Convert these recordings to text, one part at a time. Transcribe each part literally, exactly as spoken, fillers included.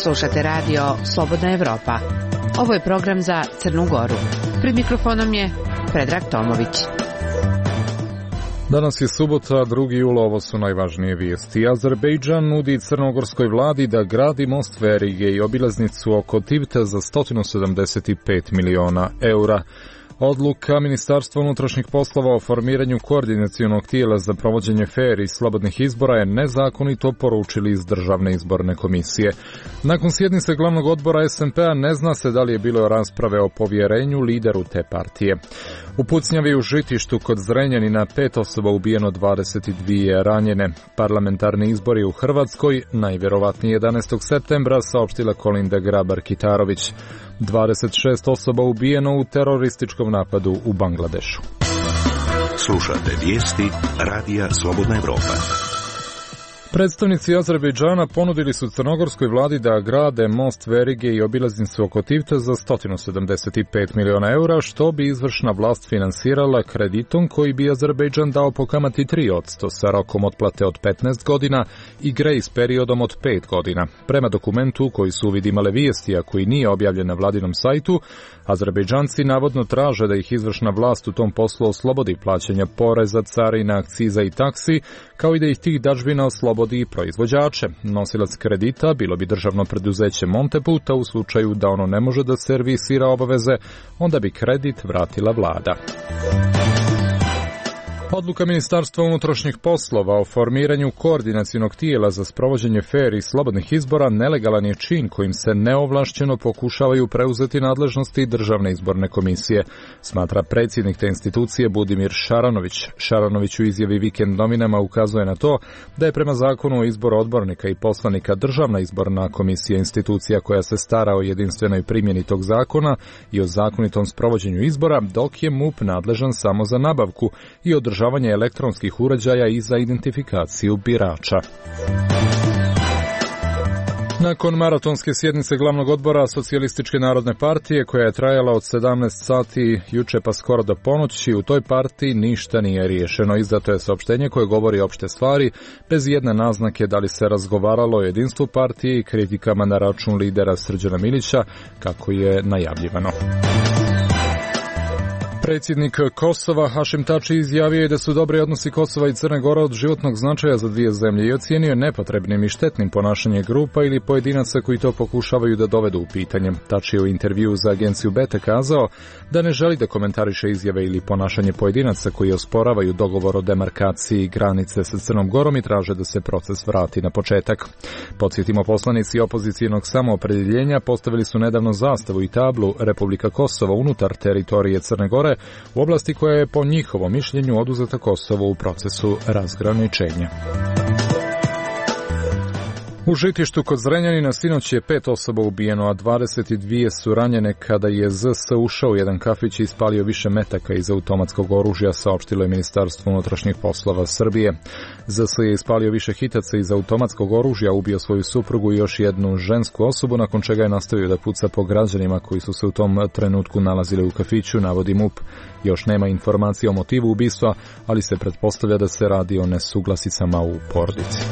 Slušate radio Slobodna Evropa. Ovo je program za Crnu Goru. Pred mikrofonom je Predrag Tomović. Danas je subota, drugi jul, ovo su najvažnije vijesti. Azerbejdžan nudi crnogorskoj vladi da gradi most verige i obilaznicu oko Tivta za sto sedamdeset pet miliona eura. Odluka Ministarstva unutrašnjih poslova o formiranju koordinacionog tijela za provođenje fer i slobodnih izbora je nezakonito, poručili iz Državne izborne komisije. Nakon sjednice glavnog odbora es en pe-a ne zna se da li je bilo rasprave o povjerenju lideru te partije. U pucnjavi u Žitištu kod Zrenjanina pet osoba ubijeno, dvadeset dvije ranjene. Parlamentarni izbori u Hrvatskoj najvjerovatnije jedanaestog septembra, saopštila Kolinda Grabar-Kitarović. dvadeset šest osoba ubijeno u terorističkom napadu u Bangladešu. Slušate vijesti radija Slobodna Evropa. Predstavnici Azerbejdžana ponudili su crnogorskoj vladi da grade most verige i obilaznicu oko Tivta za sto sedamdeset pet miliona eura, što bi izvršna vlast finansirala kreditom koji bi Azerbejdžan dao po kamati tri posto sa rokom otplate od petnaest godina i grejs periodom od pet godina. Prema dokumentu koji su uvid imale vijesti, a koji nije objavljen na vladinom sajtu, Azerbejdžanci navodno traže da ih izvršna vlast u tom poslu oslobodi plaćanja poreza, carina, akciza i taksi, kao i da ih tih dažbina oslobodi i proizvođače. Nosilac kredita bilo bi državno preduzeće Monteput, a u slučaju da ono ne može da servisira obaveze, onda bi kredit vratila vlada. Odluka Ministarstva unutrašnjih poslova o formiranju koordinacionog tijela za sprovođenje fer i slobodnih izbora nelegalan je čin kojim se neovlašćeno pokušavaju preuzeti nadležnosti Državne izborne komisije, smatra predsjednik te institucije Budimir Šaranović. Šaranović u izjavi Vikend novinama ukazuje na to da je prema zakonu o izboru odbornika i poslanika Državna izborna komisija institucija koja se stara o jedinstvenoj primjeni tog zakona i o zakonitom sprovođenju izbora, dok je MUP nadležan samo za nabavku i održavanje elektronskih uređaja i za identifikaciju birača. Nakon maratonske sjednice glavnog odbora Socijalističke narodne partije, koja je trajala od sedamnaest sati juče pa skoro do ponoći, u toj partiji ništa nije riješeno. Izdato je saopštenje koje govori opšte stvari, bez jedne naznake da li se razgovaralo o jedinstvu partije i kritikama na račun lidera Srđana Milića, kako je najavljivano. Predsjednik Kosova Hašim Tači izjavio je da su dobri odnosi Kosova i Crne Gore od životnog značaja za dvije zemlje i ocijenio nepotrebnim i štetnim ponašanje grupa ili pojedinaca koji to pokušavaju da dovedu u pitanje. Tači je u intervjuu za agenciju Beta kazao da ne želi da komentariše izjave ili ponašanje pojedinaca koji osporavaju dogovor o demarkaciji granice sa Crnom Gorom i traže da se proces vrati na početak. Podsjetimo, poslanici opozicijenog samoopredjeljenja postavili su nedavno zastavu i tablu Republika Kosovo unutar teritorije Crne Gore, u oblasti koja je po njihovom mišljenju oduzeta Kosovo u procesu razgraničenja. U Žitištu kod Zrenjanina sinoć je pet osoba ubijeno, a dvadeset dvije su ranjene kada je Z S ušao u jedan kafić i ispalio više metaka iz automatskog oružja, saopštilo je Ministarstvo unutrašnjih poslova Srbije. Z S je ispalio više hitaca iz automatskog oružja, ubio svoju suprugu i još jednu žensku osobu, nakon čega je nastavio da puca po građanima koji su se u tom trenutku nalazili u kafiću, navodi MUP. Još nema informacije o motivu ubistva, ali se pretpostavlja da se radi o nesuglasicama u porodici.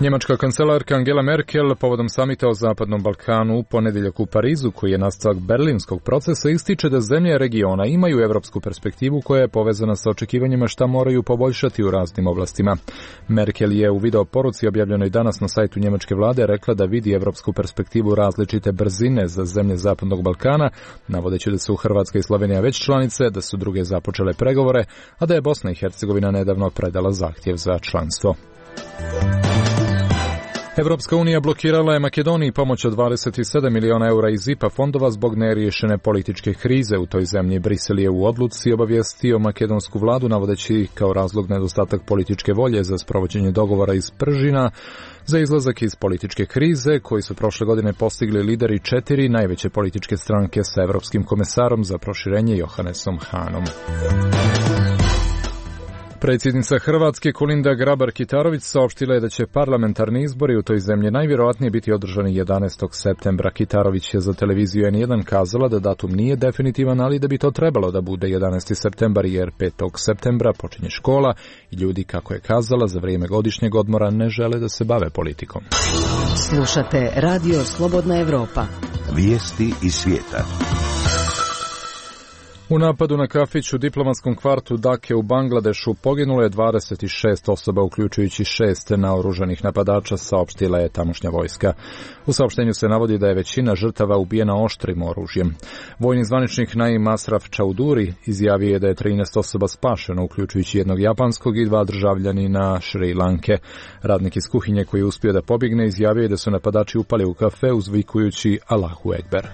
Njemačka kancelarka Angela Merkel povodom samita o Zapadnom Balkanu u ponedjeljak u Parizu, koji je nastavak berlinskog procesa, ističe da zemlje regiona imaju evropsku perspektivu koja je povezana sa očekivanjima šta moraju poboljšati u raznim oblastima. Merkel je u video poruci objavljenoj danas na sajtu njemačke vlade rekla da vidi evropsku perspektivu različite brzine za zemlje Zapadnog Balkana, navodeći da su Hrvatska i Slovenija već članice, da su druge započele pregovore, a da je Bosna i Hercegovina nedavno predala zahtjev za članstvo. Evropska unija blokirala je Makedoniji pomoć od dvadeset sedam miliona eura iz I P A fondova zbog neriješene političke krize u toj zemlji. Brisel je u odluci obavijestio makedonsku vladu, navodeći kao razlog nedostatak političke volje za sprovođenje dogovora iz Pržina za izlazak iz političke krize, koji su prošle godine postigli lideri četiri najveće političke stranke sa evropskim komesarom za proširenje Johannesom Hanom. Predsjednica Hrvatske Kolinda Grabar-Kitarović saopštila je da će parlamentarni izbori u toj zemlji najvjerojatnije biti održani jedanaestog septembra. Kitarović je za televiziju en jedan kazala da datum nije definitivan, ali da bi to trebalo da bude jedanaesti septembar jer petog septembra počinje škola i ljudi, kako je kazala, za vrijeme godišnjeg odmora ne žele da se bave politikom. Slušate Radio Slobodna Evropa. Vijesti iz svijeta. U napadu na kafić u diplomatskom kvartu Dake u Bangladešu poginulo je dvadeset šest osoba, uključujući šest naoružanih napadača, saopštila je tamošnja vojska. U saopštenju se navodi da je većina žrtava ubijena oštrim oružjem. Vojni zvaničnik Naim Asraf Chaudhuri izjavio je da je trinaest osoba spašeno, uključujući jednog japanskog i dva državljanina Šri Lanke. Radnik iz kuhinje koji je uspio da pobjegne izjavio je da su napadači upali u kafe uzvikujući Allahu Ekber.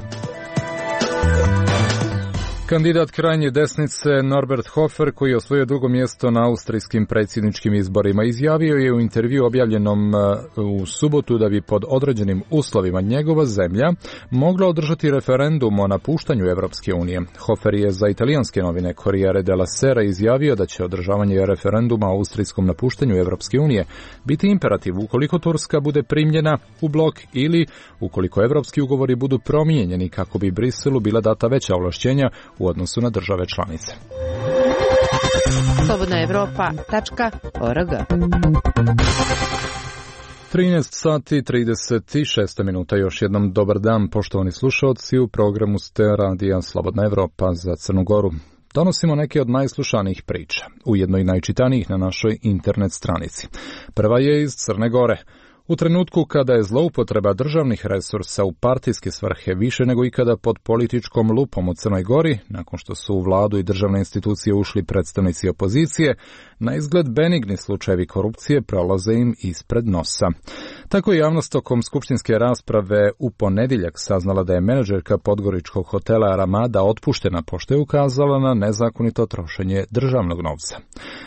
Kandidat krajnje desnice Norbert Hofer, koji je osvojio drugo mjesto na austrijskim predsjedničkim izborima, izjavio je u intervju objavljenom u subotu da bi pod određenim uslovima njegova zemlja mogla održati referendum o napuštanju Evropske unije. Hofer je za italijanske novine Corriere della Sera izjavio da će održavanje referenduma o austrijskom napuštanju Evropske unije biti imperativ ukoliko Turska bude primljena u blok ili ukoliko evropski ugovori budu promijenjeni kako bi Briselu bila data veća ovlašćenja u odnosu na države članice. slobodna evropa tačka org trinaest sati trideset šest minuta. Još jednom dobar dan, poštovani slušalci, u programu ste Radija Slobodna Evropa za Crnu Goru. Donosimo neke od najslušanijih priča, ujedno i najčitanijih na našoj internet stranici. Prva je iz Crne Gore. U trenutku kada je zloupotreba državnih resursa u partijske svrhe više nego ikada pod političkom lupom u Crnoj Gori, nakon što su u vladu i državne institucije ušli predstavnici opozicije, na izgled benigni slučajevi korupcije prolaze im ispred nosa. Tako je javnost tokom skupštinske rasprave u ponedjeljak saznala da je menadžerka podgoričkog hotela Ramada otpuštena pošto je ukazala na nezakonito trošenje državnog novca.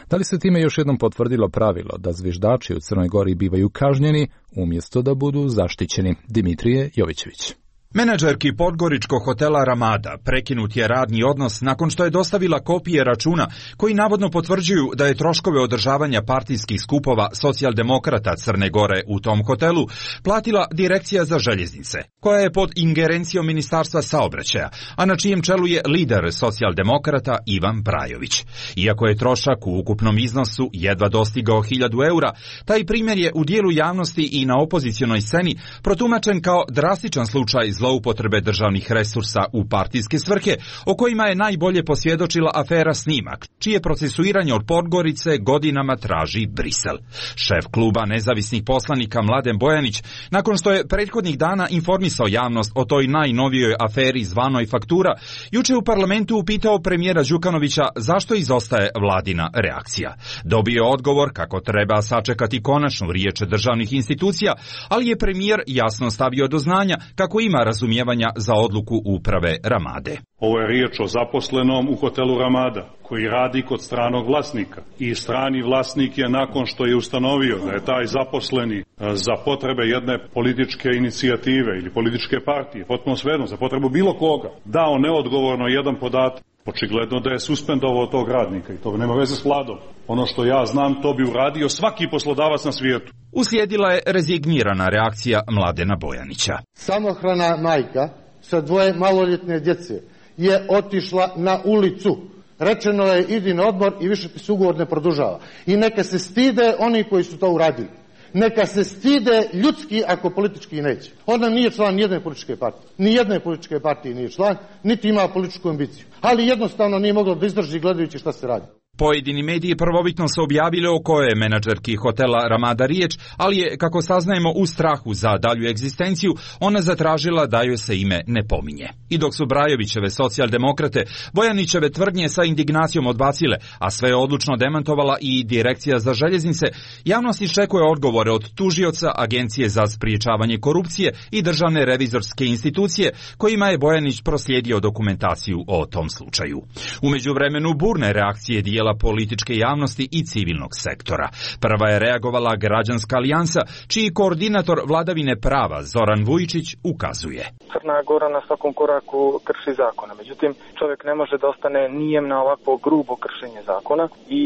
Da li se time još jednom potvrdilo pravilo da zviždači u Crnoj Gori bivaju kažnjeni umjesto da budu zaštićeni? Dimitrije Jovićević. Menadžerki podgoričkog hotela Ramada prekinut je radni odnos nakon što je dostavila kopije računa koji navodno potvrđuju da je troškove održavanja partijskih skupova socijaldemokrata Crne Gore u tom hotelu platila Direkcija za željeznice, koja je pod ingerencijom Ministarstva saobraćaja, a na čijem čelu je lider socijaldemokrata Ivan Brajović. Iako je trošak u ukupnom iznosu jedva dostigao hiljadu eura, taj primjer je u dijelu javnosti i na opozicionoj sceni protumačen kao drastičan slučaj zloupotrebe državnih resursa u partijske svrhe, o kojima je najbolje posvjedočila afera Snimak, čije procesuiranje od Podgorice godinama traži Brisel. Šef kluba nezavisnih poslanika Mladen Bojanić, nakon što je prethodnih dana informisao javnost o toj najnovijoj aferi zvanoj faktura, juče u parlamentu upitao premijera Đukanovića zašto izostaje vladina reakcija. Dobio je odgovor kako treba sačekati konačnu riječ državnih institucija, ali je premijer jasno stavio do znanja kako ima razumijevanja za odluku uprave Ramade. Ovo je riječ o zaposlenom u hotelu Ramada, koji radi kod stranog vlasnika. I strani vlasnik je, nakon što je ustanovio da je taj zaposleni za potrebe jedne političke inicijative ili političke partije, potpuno svejedno, za potrebu bilo koga, dao neodgovorno jedan podatak, očigledno da je suspendovao tog radnika i to nema veze s vladom. Ono što ja znam, to bi uradio svaki poslodavac na svijetu. Uslijedila je rezignirana reakcija Mladena Bojanića. Samohrana majka sa dvoje maloljetne djece je otišla na ulicu. Rečeno je idi na odmor i više ti se ugovor ne produžava. I neka se stide oni koji su to uradili. Neka se stide ljudski ako politički neće. Ona nije član nijedne političke partije. Nijedne političke partije nije član, niti ima političku ambiciju. Ali jednostavno nije mogla da izdrži gledajući šta se radi. Pojedini mediji prvobitno su objavili o kojoj je menadžerki hotela Ramada riječ, ali je, kako saznajemo, u strahu za dalju egzistenciju, ona zatražila da joj se ime ne pominje. I dok su Brajovićeve socijaldemokrate Bojanićeve tvrdnje sa indignacijom odbacile, a sve je odlučno demantovala i Direkcija za željeznice, javnost iščekuje odgovore od tužioca, Agencije za spriječavanje korupcije i državne revizorske institucije, kojima je Bojanić proslijedio dokumentaciju o tom slučaju. U međuvremenu burne reakcije dijela dela političke javnosti i civilnog sektora. Prva je reagovala Građanska alijansa, čiji koordinator vladavine prava Zoran Vujičić ukazuje. Crna Gora na svakom koraku krši zakona, međutim čovjek ne može da ostane nijem na ovakvo grubo kršenje zakona i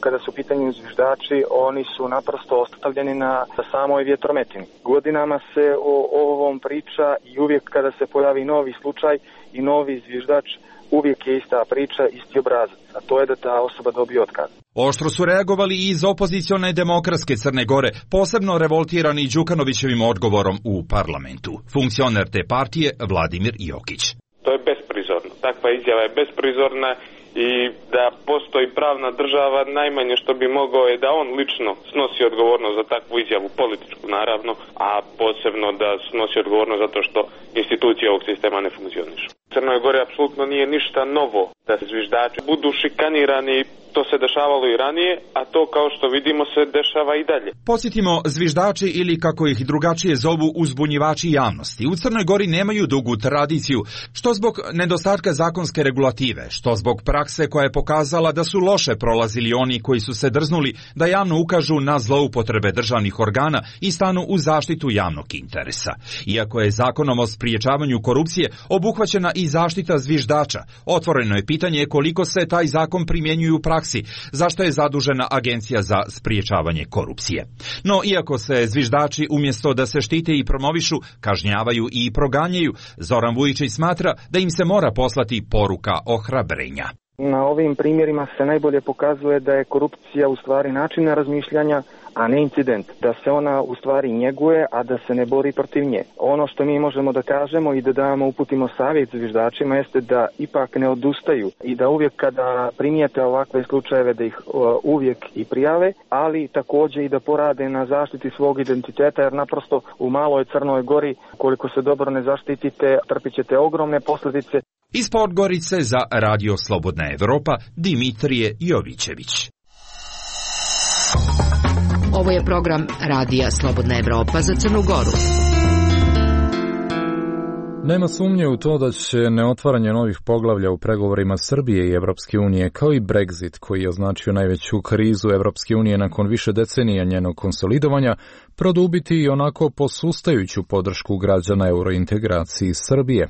kada su u pitanju zviždači, oni su naprosto ostavljeni na samoj vjetrometini. Godinama se o, o ovom priča i uvijek kada se pojavi novi slučaj i novi zviždač, uvijek je ista priča, isti obrazac, a to je da ta osoba dobije otkaz. Oštro su reagovali i iz opozicione demokratske Crne Gore, posebno revoltirani Đukanovićevim odgovorom u parlamentu. Funkcioner te partije Vladimir Jokić. To je besprizorno. Takva izjava je besprizorna i da postoji pravna država, najmanje što bi mogao je da on lično snosi odgovornost za takvu izjavu, političku naravno, a posebno da snosi odgovornost zato što institucije ovog sistema ne funkcionišu. U Crnoj Gori apsolutno nije ništa novo da zviždači budu šikanirani, to se dešavalo i ranije, a to kao što vidimo se dešava i dalje. Podsjetimo, zviždači ili kako ih drugačije zovu uzbunjivači javnosti u Crnoj Gori nemaju dugu tradiciju, što zbog nedostatka zakonske regulative, što zbog prakse koja je pokazala da su loše prolazili oni koji su se drznuli da javno ukažu na zloupotrebe državnih organa i stanu u zaštitu javnog interesa. Iako je zakonom o spriječavanju korupcije obuhvaćena i zaštita zviždača, otvoreno je pitanje koliko se taj zakon primjenjuje u praksi, zašto je zadužena Agencija za spriječavanje korupcije. No, iako se zviždači umjesto da se štite i promovišu, kažnjavaju i proganjaju, Zoran Vujičić smatra da im se mora poslati poruka ohrabrenja. Na ovim primjerima se najbolje pokazuje da je korupcija u stvari način razmišljanja, a ne incident. Da se ona u stvari njeguje, a da se ne bori protiv nje. Ono što mi možemo da kažemo i da damo uputimo savjet zviždačima jeste da ipak ne odustaju i da uvijek kada primijete ovakve slučajeve da ih uvijek i prijave, ali također i da porade na zaštiti svog identiteta, jer naprosto u maloj Crnoj Gori koliko se dobro ne zaštitite, trpit ćete ogromne posljedice. Iz Podgorice za Radio Slobodna Evropa, Dimitrije Jovićević. Ovo je program Radija Slobodna Evropa za Crnu Goru. Nema sumnje u to da će neotvaranje novih poglavlja u pregovorima Srbije i Evropske unije, kao i Brexit, koji je označio najveću krizu Evropske unije nakon više decenija njenog konsolidovanja, produbiti i onako posustajuću podršku građana eurointegraciji Srbije.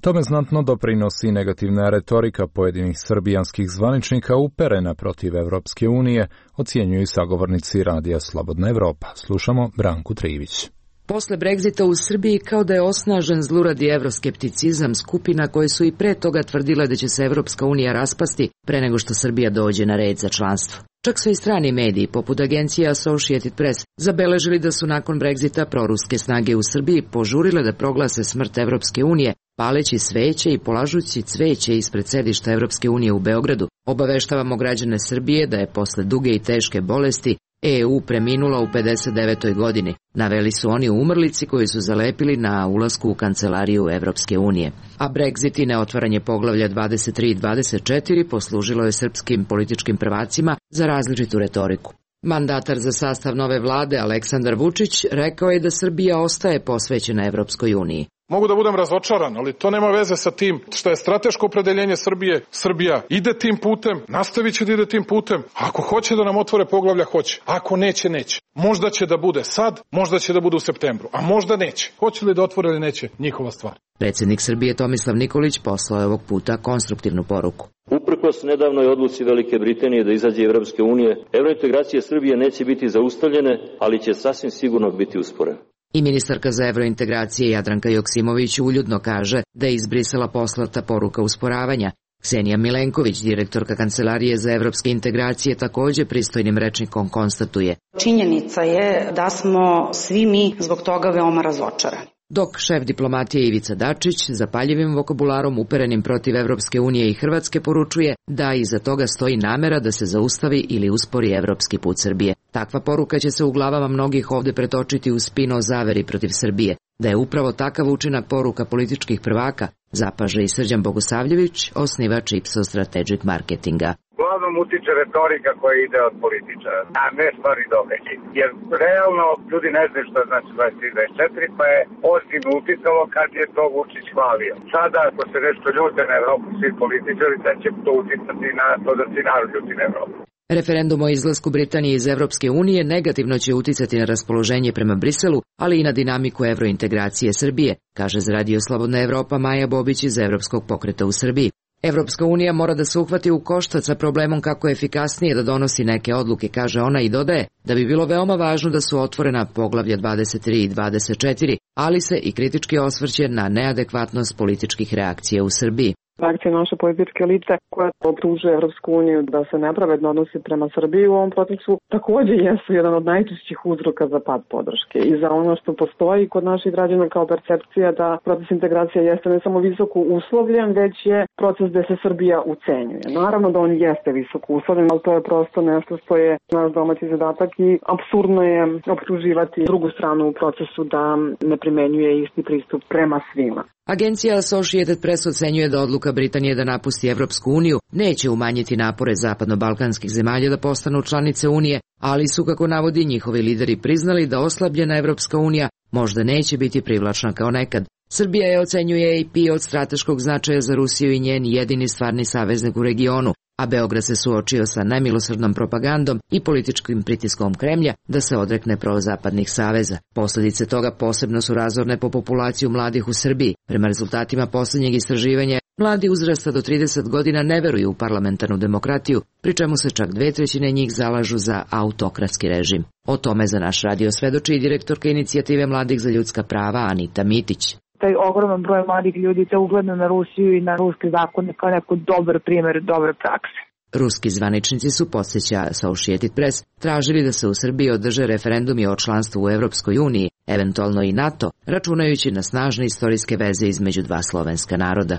Tome znatno doprinosi negativna retorika pojedinih srbijanskih zvaničnika uperena protiv Evropske unije, ocjenjuju i sagovornici Radija Slobodna Evropa. Slušamo Branku Trivić. Posle Brexita u Srbiji kao da je osnažen zluradi evroskepticizam skupina koje su i pre toga tvrdile da će se Evropska unija raspasti pre nego što Srbija dođe na red za članstvo. Čak su i strani mediji, poput agencije Associated Press, zabeležili da su nakon Brexita proruske snage u Srbiji požurile da proglase smrt Evropske unije, paleći sveće i polažući cveće ispred sedišta Evropske unije u Beogradu. Obaveštavamo građane Srbije da je posle duge i teške bolesti E U preminula u pedeset devetoj godini. Naveli su oni u umrlici koju su zalepili na ulasku u kancelariju Evropske unije. A Brexit i neotvaranje poglavlja dvadeset tri i dvadeset četiri poslužilo je srpskim političkim prvacima za različitu retoriku. Mandatar za sastav nove vlade Aleksandar Vučić rekao je da Srbija ostaje posvećena Evropskoj uniji. Mogu da budem razočaran, ali to nema veze sa tim što je strateško opredeljenje Srbije. Srbija ide tim putem, nastavit će da ide tim putem. Ako hoće da nam otvore poglavlja, hoće. Ako neće, neće. Možda će da bude sad, možda će da bude u septembru, a možda neće. Hoće li da otvore ili neće, njihova stvar. Predsjednik Srbije Tomislav Nikolić poslao je ovog puta konstruktivnu poruku. Uprkos nedavnoj odluci Velike Britanije da izađe Evropske unije, evrointegracije Srbije neće biti zaustavljene, ali će sasvim sigurno biti usporene. I ministarka za evrointegracije Jadranka Joksimović uljudno kaže da je iz Brisela poslata poruka usporavanja. Ksenija Milenković, direktorka Kancelarije za evropske integracije, također pristojnim rečnikom konstatuje. Činjenica je da smo svi mi zbog toga veoma razočarani. Dok šef diplomatije Ivica Dačić zapaljivim vokabularom uperenim protiv Evropske unije i Hrvatske poručuje da iza toga stoji namera da se zaustavi ili uspori evropski put Srbije. Takva poruka će se u glavama mnogih ovde pretočiti u spin o zaveri protiv Srbije. Da je upravo takav učinak poruka političkih prvaka, zapaže i Srđan Bogosavljević, osnivač Ipsos Strategic Marketinga. Vlada uglavnom utiče retorika koja ide od političara, a ne stvari događaj. Jer realno ljudi ne znaju što znači dvadeset tri dvadeset četiri, pa je ozbiljno uticalo kad je to Vučić hvalio. Sada ako se nešto ljute na Evropu svi političari, da će to uticati na to da se narod ljuti na Evropu. Referendum o izlasku Britanije iz Evropske unije negativno će uticati na raspoloženje prema Briselu, ali i na dinamiku evrointegracije Srbije, kaže za Radio Slobodna Evropa Maja Bobić iz Evropskog pokreta u Srbiji. Evropska unija mora da se uhvati u koštac sa problemom kako je efikasnije da donosi neke odluke, kaže ona i dodaje da bi bilo veoma važno da su otvorena poglavlja dvadeset tri i dvadeset četiri, ali se i kritički osvrće na neadekvatnost političkih reakcija u Srbiji. Reakcije naše političke elite koja optužuje Evropsku uniju da se nepravedno odnosi prema Srbiji u ovom procesu takođe jesu jedan od najčešćih uzroka za pad podrške i za ono što postoji kod naših građana kao percepcija da proces integracije jeste ne samo visoko uslovljen, već je proces gde se Srbija ucenjuje. Naravno da on jeste visoko uslovljen, ali to je prosto nešto što je naš domaći zadatak i apsurdno je optuživati drugu stranu u procesu da ne primenjuje isti pristup prema svima. Agencija Associated Press ocenjuje da odluka Britanije da napusti Evropsku uniju neće umanjiti napore zapadno-balkanskih zemalja da postanu članice Unije, ali su, kako navodi, njihovi lideri priznali da oslabljena Evropska unija možda neće biti privlačna kao nekad. Srbija je, ocenjuje A P, od strateškog značaja za Rusiju i njen jedini stvarni saveznik u regionu, a Beograd se suočio sa nemilosrdnom propagandom i političkim pritiskom Kremlja da se odrekne prozapadnih saveza. Posledice toga posebno su razorne po populaciju mladih u Srbiji. Prema rezultatima posljednjeg istraživanja, mladi uzrasta do trideset godina ne veruju u parlamentarnu demokratiju, pri čemu se čak dve trećine njih zalažu za autokratski režim. O tome za naš radio svedoči i direktorka inicijative mladih za ljudska prava Anita Mitić. Taj ogroman broj mladih ljudi te ugledno na Rusiju i na ruske zakone kao neko dobar primjer dobre prakse. Ruski zvaničnici su, podsjeća Associated Press, tražili da se u Srbiji održe referendumi o članstvu u Evropskoj uniji, eventualno i NATO, računajući na snažne istorijske veze između dva slovenska naroda.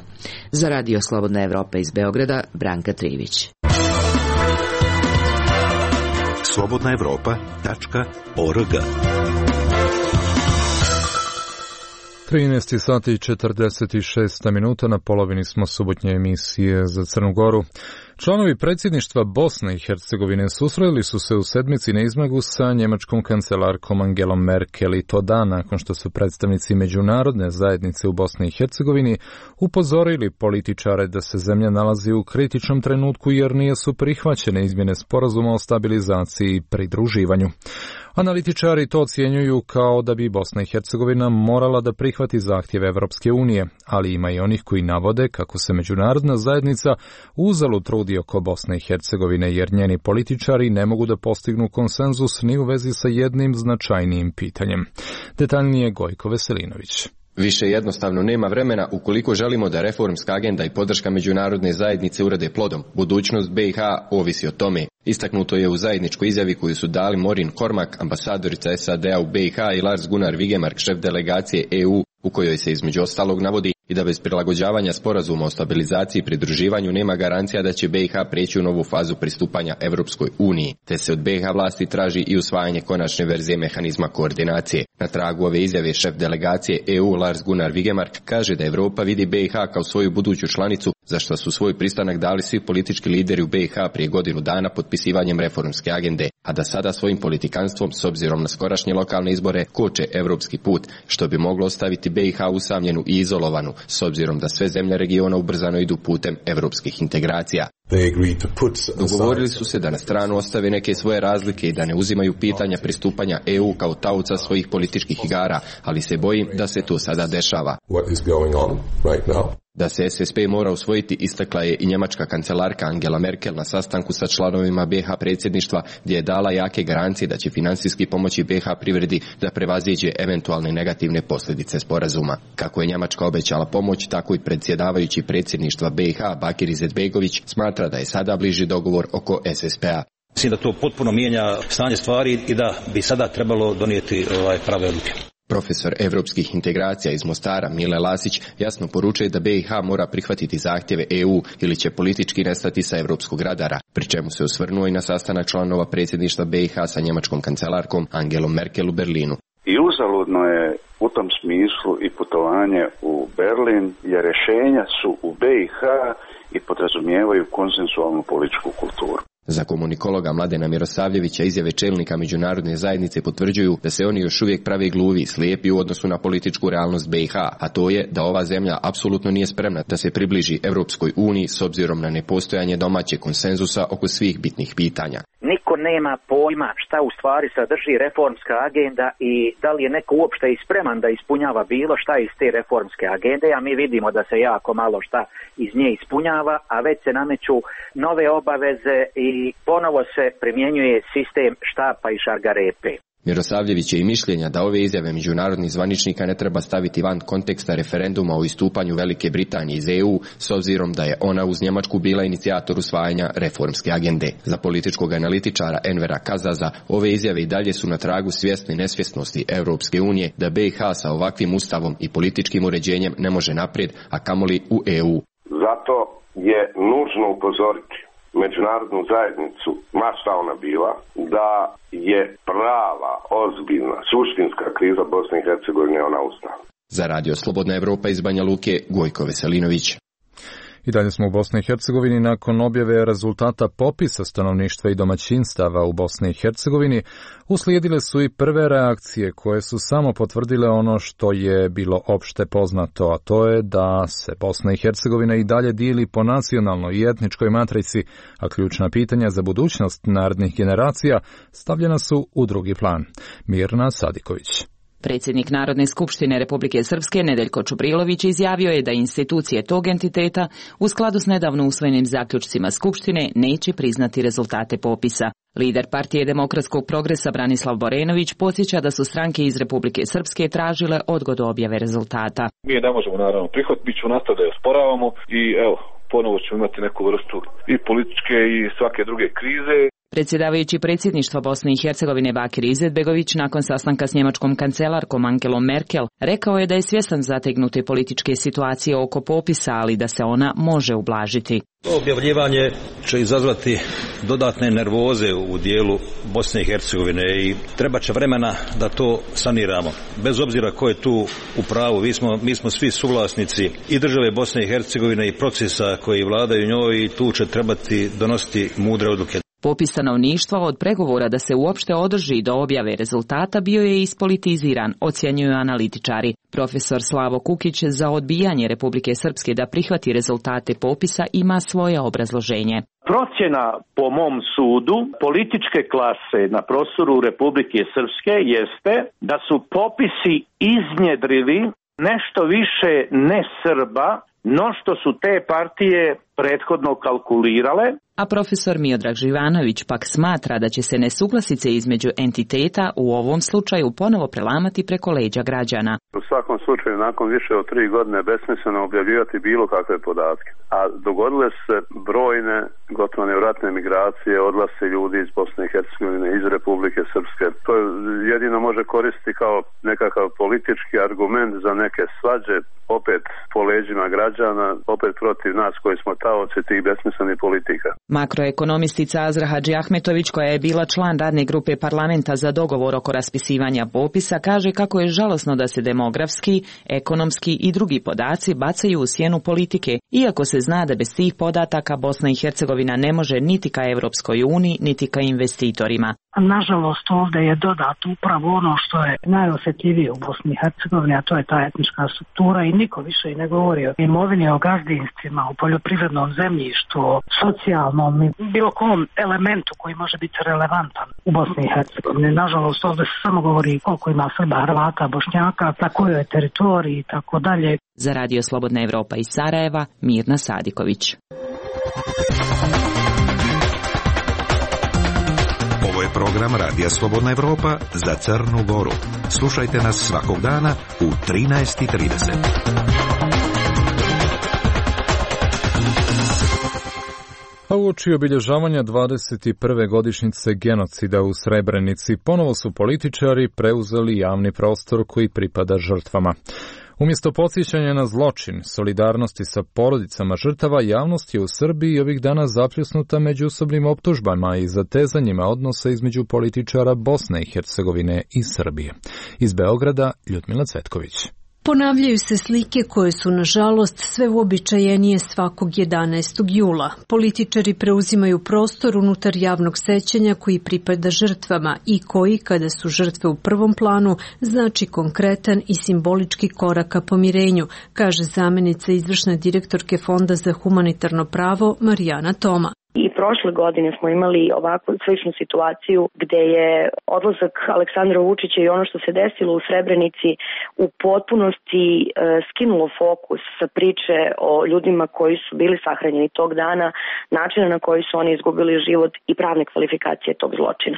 Za Radio Slobodna Evropa iz Beograda, Branka Trivić. slobodna evropa tačka org trinaest sati i četrdeset šest minuta, na polovini smo subotnje emisije za Crnu Goru. Članovi predsjedništva Bosne i Hercegovine susreli su se u sedmici na izmagu sa njemačkom kancelarkom Angelom Merkel i to dan nakon što su predstavnici međunarodne zajednice u Bosni i Hercegovini upozorili političare da se zemlja nalazi u kritičnom trenutku jer nisu prihvaćene izmjene sporazuma o stabilizaciji i pridruživanju. Analitičari to ocjenjuju kao da bi Bosna i Hercegovina morala da prihvati zahtjeve Evropske unije, ali ima i onih koji navode kako se međunarodna zajednica uzalud trudi oko Bosne i Hercegovine jer njeni političari ne mogu da postignu konsenzus ni u vezi sa jednim značajnijim pitanjem. Detaljnije Gojko Veselinović. Više jednostavno nema vremena ukoliko želimo da reformska agenda i podrška međunarodne zajednice urade plodom. Budućnost B i H ovisi o tome. Istaknuto je u zajedničkoj izjavi koju su dali Maureen Cormack, ambasadorica S A D-a u B i H, i Lars Gunnar Vigemark, šef delegacije E U, u kojoj se između ostalog navodi i da bez prilagođavanja sporazuma o stabilizaciji i pridruživanju nema garancija da će B i H preći u novu fazu pristupanja Evropskoj uniji, te se od B i H vlasti traži i usvajanje konačne verzije mehanizma koordinacije. Na tragu ove izjave šef delegacije E U Lars Gunnar Vigemark kaže da Evropa vidi B i H kao svoju buduću članicu, za što su svoj pristanak dali svi politički lideri u B i H prije godinu dana potpisivanjem reformske agende, a da sada svojim politikanstvom, s obzirom na skorašnje lokalne izbore, koče evropski put, što bi moglo ostaviti B i H usamljenu i izolovanu, s obzirom da sve zemlje regiona ubrzano idu putem evropskih integracija. Dogovorili su se da na stranu ostave neke svoje razlike i da ne uzimaju pitanja pristupanja E U kao tauca svojih političkih igara, ali se bojim da se to sada dešava. Da se S S P mora usvojiti, istakla je i njemačka kancelarka Angela Merkel na sastanku sa članovima B i H predsjedništva, gdje je dala jake garancije da će finansijski pomoći B i H privredi da prevaziđe eventualne negativne posljedice sporazuma. Kako je Njemačka obećala pomoć, tako i predsjedavajući predsjedništva B i H Bakir Izetbegović smatra da je sada bliži dogovor oko S S P-a. Mislim da to potpuno mijenja stanje stvari i da bi sada trebalo donijeti ovaj prave odluke. Profesor evropskih integracija iz Mostara Mile Lasić jasno poručuje da B i H mora prihvatiti zahtjeve E U ili će politički nestati sa evropskog radara, pri čemu se osvrnuo i na sastanak članova predsjedništva B i H sa njemačkom kancelarkom Angelom Merkel u Berlinu. I uzaludno je u tom smislu i putovanje u Berlin, jer rješenja su u B i H i podrazumijevaju konsensualnu političku kulturu. Za komunikologa Mladena Mirosavljevića izjave čelnika međunarodne zajednice potvrđuju da se oni još uvijek prave gluvi, slijepi u odnosu na političku realnost be i ha, a to je da ova zemlja apsolutno nije spremna da se približi Europskoj uniji s obzirom na nepostojanje domaćeg konsenzusa oko svih bitnih pitanja. Niko nema pojma šta u stvari sadrži reformska agenda i da li je neko uopšte i spreman da ispunjava bilo šta iz te reformske agende, a mi vidimo da se jako malo šta iz nje ispunjava, a već se nameću nove obaveze i ponovo se primjenjuje sistem štapa i šargarepe. Mirosavljević je i mišljenja da ove izjave međunarodnih zvaničnika ne treba staviti van konteksta referenduma o istupanju Velike Britanije iz e u, s obzirom da je ona uz Njemačku bila inicijator usvajanja reformske agende. Za političkog analitičara Envera Kazaza, ove izjave i dalje su na tragu svjesne nesvjesnosti Europske unije da be i ha sa ovakvim ustavom i političkim uređenjem ne može naprijed, a kamoli u e u. Zato je nužno upozoriti međunarodnu zajednicu, ma šta ona bila, da je prava, ozbiljna, suštinska kriza Bosne i Hercegovine ona ustala. Za Radio Slobodna Evropa iz Banja Luke, Gojko Veselinović. I dalje smo u Bosni i Hercegovini. Nakon objave rezultata popisa stanovništva i domaćinstava u Bosni i Hercegovini, uslijedile su i prve reakcije koje su samo potvrdile ono što je bilo opšte poznato, a to je da se Bosna i Hercegovina i dalje dijeli po nacionalnoj i etničkoj matrici, a ključna pitanja za budućnost narednih generacija stavljena su u drugi plan. Mirna Sadiković. Predsjednik Narodne skupštine Republike Srpske Nedeljko Čubrilović izjavio je da institucije tog entiteta u skladu s nedavno usvojenim zaključcima Skupštine neće priznati rezultate popisa. Lider partije Demokratskog progresa Branislav Borenović podsjeća da su stranke iz Republike Srpske tražile odgodu objave rezultata. Mi ne možemo naravno prihvatiti, mi ćemo nastaviti da je osporavamo i evo, ponovo ćemo imati neku vrstu i političke i svake druge krize. Predsjedavajući predsjedništva Bosne i Hercegovine Bakir Izetbegović nakon sastanka s njemačkom kancelarkom Angelom Merkel rekao je da je svjestan zategnute političke situacije oko popisa, ali da se ona može ublažiti. Objavljivanje će izazvati dodatne nervoze u dijelu Bosne i Hercegovine i treba će vremena da to saniramo. Bez obzira ko je tu u pravu, mi smo, mi smo svi suvlasnici i države Bosne i Hercegovine i procesa koji vladaju njoj i tu će trebati donositi mudre odluke. Popis stanovništva od pregovora da se uopšte održi do objave rezultata bio je ispolitiziran, ocjenjuju analitičari. Profesor Slavo Kukić za odbijanje Republike Srpske da prihvati rezultate popisa ima svoje obrazloženje. Procjena po mom sudu političke klase na prostoru Republike Srpske jeste da su popisi iznjedrili nešto više ne Srba, no što su te partije prethodno kalkulirale. A profesor Miodrag Živanović pak smatra da će se nesuglasice između entiteta u ovom slučaju ponovo prelamati preko leđa građana. U svakom slučaju, nakon više od tri godine besmisleno objavljivati bilo kakve podatke. A dogodile su se brojne, gotovo nevratne migracije, odlasci ljudi iz Bosne i Hercegovine, iz Republike Srpske. To jedino može koristiti kao nekakav politički argument za neke svađe, opet po leđima građana, opet protiv nas koji smo taoci tih besmislenih politika. Makroekonomistica Azra Hadži Ahmetović, koja je bila član radne grupe parlamenta za dogovor oko raspisivanja popisa, kaže kako je žalosno da se demografski, ekonomski i drugi podaci bacaju u sjenu politike, iako se zna da bez tih podataka Bosna i Hercegovina ne može niti ka Evropskoj uniji, niti ka investitorima. Nažalost, ovdje je dodato upravo ono što je najosjetljivije u Bosni i Hercegovini, a to je ta etnička struktura i niko više i ne govori o imovini, o gazdinstvima, o poljoprivrednom zemljištu, o socijalnom i bilo kom elementu koji može biti relevantan u Bosni i Hercegovini. Nažalost, ovdje se samo govori koliko ima Srba, Hrvata, Bošnjaka, na kojoj teritoriji i tako dalje. Za Radio Slobodna Evropa iz Sarajeva, Mirna Sadiković. Ovo je program Radija Slobodna Evropa za Crnu Goru. Slušajte nas svakog dana u trinaest i trideset. A uoči obilježavanja dvadeset prve godišnjice genocida u Srebrenici ponovo su političari preuzeli javni prostor koji pripada žrtvama. Umjesto podsjećanja na zločin, solidarnosti sa porodicama žrtava, javnost je u Srbiji ovih dana zapljusnuta međusobnim optužbama i zatezanjima odnosa između političara Bosne i Hercegovine i Srbije. Iz Beograda, Ljudmila Cvetković. Ponavljaju se slike koje su, nažalost, sve uobičajenije svakog jedanaestog jula. Političari preuzimaju prostor unutar javnog sećanja koji pripada žrtvama i koji, kada su žrtve u prvom planu, znači konkretan i simbolički korak ka pomirenju, kaže zamenica izvršne direktorke Fonda za humanitarno pravo Marijana Toma. I prošle godine smo imali ovakvu sličnu situaciju gde je odlazak Aleksandra Vučića i ono što se desilo u Srebrenici u potpunosti e, skinulo fokus sa priče o ljudima koji su bili sahranjeni tog dana, načina na koji su oni izgubili život i pravne kvalifikacije tog zločina.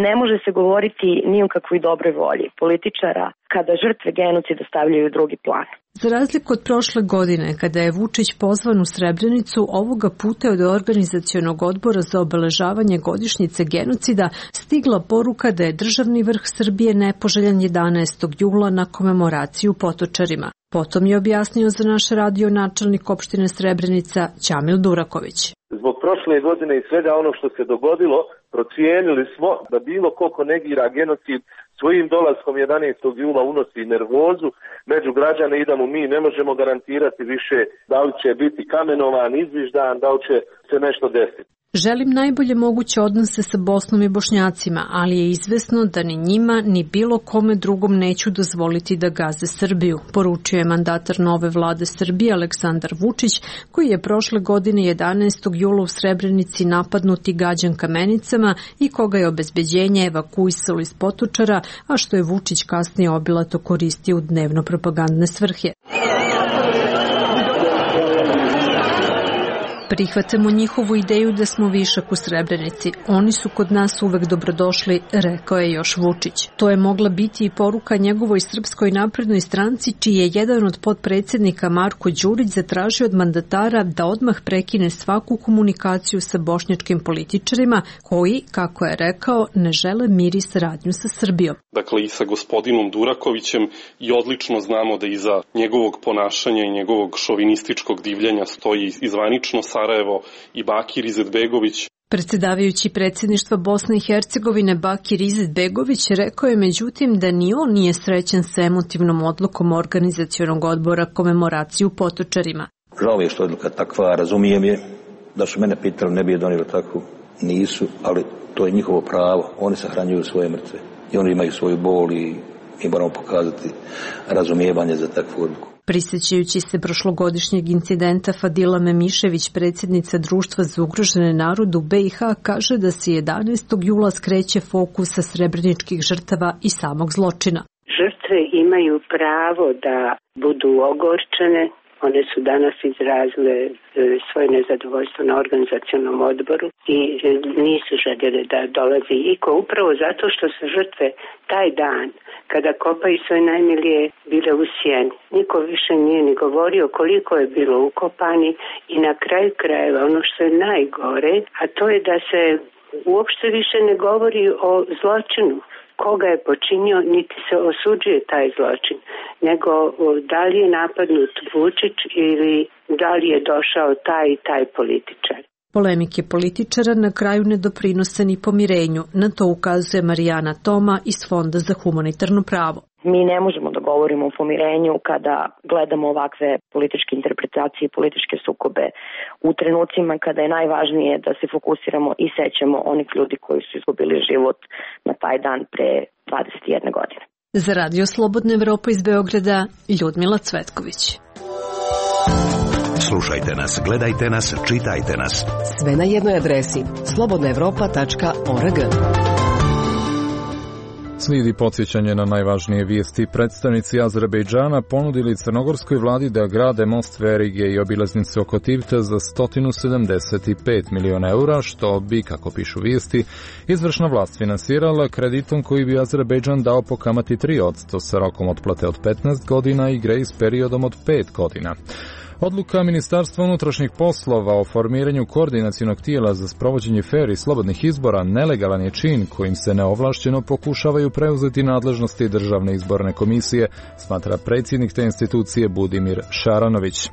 Ne može se govoriti ni o kakvoj dobroj volji političara kada žrtve genocida stavljaju u drugi plan. Za razliku od prošle godine, kada je Vučić pozvan u Srebrenicu, ovoga puta je od organizacionog odbora za obeležavanje godišnjice genocida stigla poruka da je državni vrh Srbije nepoželjan jedanaestog jula na komemoraciju Potočarima. Potom je objasnio za naš radio načelnik opštine Srebrenica Ćamil Duraković. Zbog prošle godine i svega ono što se dogodilo, procijenili smo da bilo ko negira genocid svojim dolaskom jedanaestog jula unosi nervozu među građane i da mu mi ne možemo garantirati više da li će biti kamenovan, izviždan, da li će se nešto desiti. Želim najbolje moguće odnose sa Bosnom i Bošnjacima, ali je izvesno da ni njima ni bilo kome drugom neću dozvoliti da gaze Srbiju, poručio je mandatar nove vlade Srbije Aleksandar Vučić, koji je prošle godine jedanaestog jula u Srebrenici napadnut i gađan kamenicama i koga je obezbeđenje evakuisalo iz Potočara, a što je Vučić kasnije obilato koristio u dnevno propagandne svrhe. Prihvatamo njihovu ideju da smo višak u Srebrenici. Oni su kod nas uvek dobrodošli, rekao je još Vučić. To je mogla biti i poruka njegovoj Srpskoj naprednoj stranci, čiji je jedan od potpredsednika Marko Đurić zatražio od mandatara da odmah prekine svaku komunikaciju sa bošnjačkim političarima koji, kako je rekao, ne žele mir i saradnju sa Srbijom. Dakle, i sa gospodinom Durakovićem i odlično znamo da iza njegovog ponašanja i njegovog šovinističkog divljenja stoji izvanično Sarajevo i Bakir Izetbegović. Predsedavajući predsjedništva Bosne i Hercegovine Bakir Izetbegović rekao je međutim da ni on nije srećan sa emotivnom odlukom organizacionog odbora komemoraciju Potočarima. Žao je što je odluka takva, razumijem je, da su mene pitali ne bi je donijeli tako, nisu, ali to je njihovo pravo, oni sahranjuju svoje mrtve i oni imaju svoju bol i mi moramo pokazati razumijevanje za takvu odluku. Prisjećajući se prošlogodišnjeg incidenta, Fadila Memišević, predsjednica Društva za ugrožene narode u B i H, kaže da se jedanaestog jula skreće fokus sa srebreničkih žrtava i samog zločina. Žrtve imaju pravo da budu ogorčene. One su danas izrazile svoje nezadovoljstvo na organizacionom odboru i nisu željeli da dolazi iko, upravo zato što su žrtve taj dan, kada kopaju svoje najmilije, bile u sjeni. Niko više nije ni govorio koliko je bilo ukopani i na kraju krajeva ono što je najgore, a to je da se uopšte više ne govori o zločinu. Koga je počinio, niti se osuđuje taj zločin, nego da li je napadnut Vučić ili da li je došao taj i taj političar. Polemike političara na kraju ne doprinose ni pomirenju, na to ukazuje Marijana Toma iz Fonda za humanitarno pravo. Mi ne možemo da govorimo o pomirenju kada gledamo ovakve političke interpretacije i političke sukobe u trenucima kada je najvažnije da se fokusiramo i sećamo onih ljudi koji su izgubili život na taj dan pre dvadeset jedne godine. Za Radio Slobodna Evropa iz Beograda, Ljudmila Cvetković. Slušajte nas, gledajte nas, čitajte nas. Sve na jednoj adresi slobodna evropa tačka org. Slijedi podsjećanje na najvažnije vijesti. Predstavnici Azerbejdžana ponudili crnogorskoj vladi da grade most verige i obilaznicu oko Tivta za sto sedamdeset pet miliona eura, što bi, kako pišu vijesti, izvršna vlast finansirala kreditom koji bi Azerbejdžan dao po kamati tri posto sa rokom otplate od petnaest godina i grejs periodom od pet godina. Odluka Ministarstva unutrašnjih poslova o formiranju koordinacionog tijela za sprovođenje fer i slobodnih izbora nelegalan je čin kojim se neovlašćeno pokušavaju preuzeti nadležnosti Državne izborne komisije, smatra predsjednik te institucije Budimir Šaranović.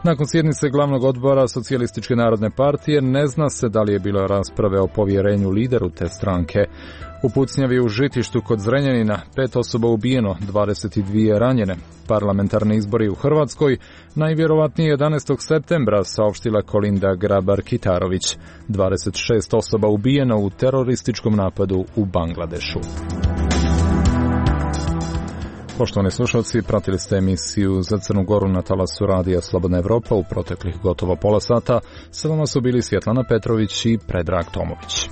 Nakon sjednice glavnog odbora Socijalističke narodne partije ne zna se da li je bilo rasprave o povjerenju lideru te stranke. U pucnjavi u Žitištu kod Zrenjanina pet osoba ubijeno, dvadeset dvije ranjene. Parlamentarni izbori u Hrvatskoj najvjerovatnije jedanaestog septembra, saopštila Kolinda Grabar-Kitarović. dvadeset šest osoba ubijeno u terorističkom napadu u Bangladešu. Poštovani slušalci, pratili ste emisiju Za Crnu Goru na talasu Radija Slobodna Evropa u proteklih gotovo pola sata. Sa vama su bili Svjetlana Petrović i Predrag Tomović.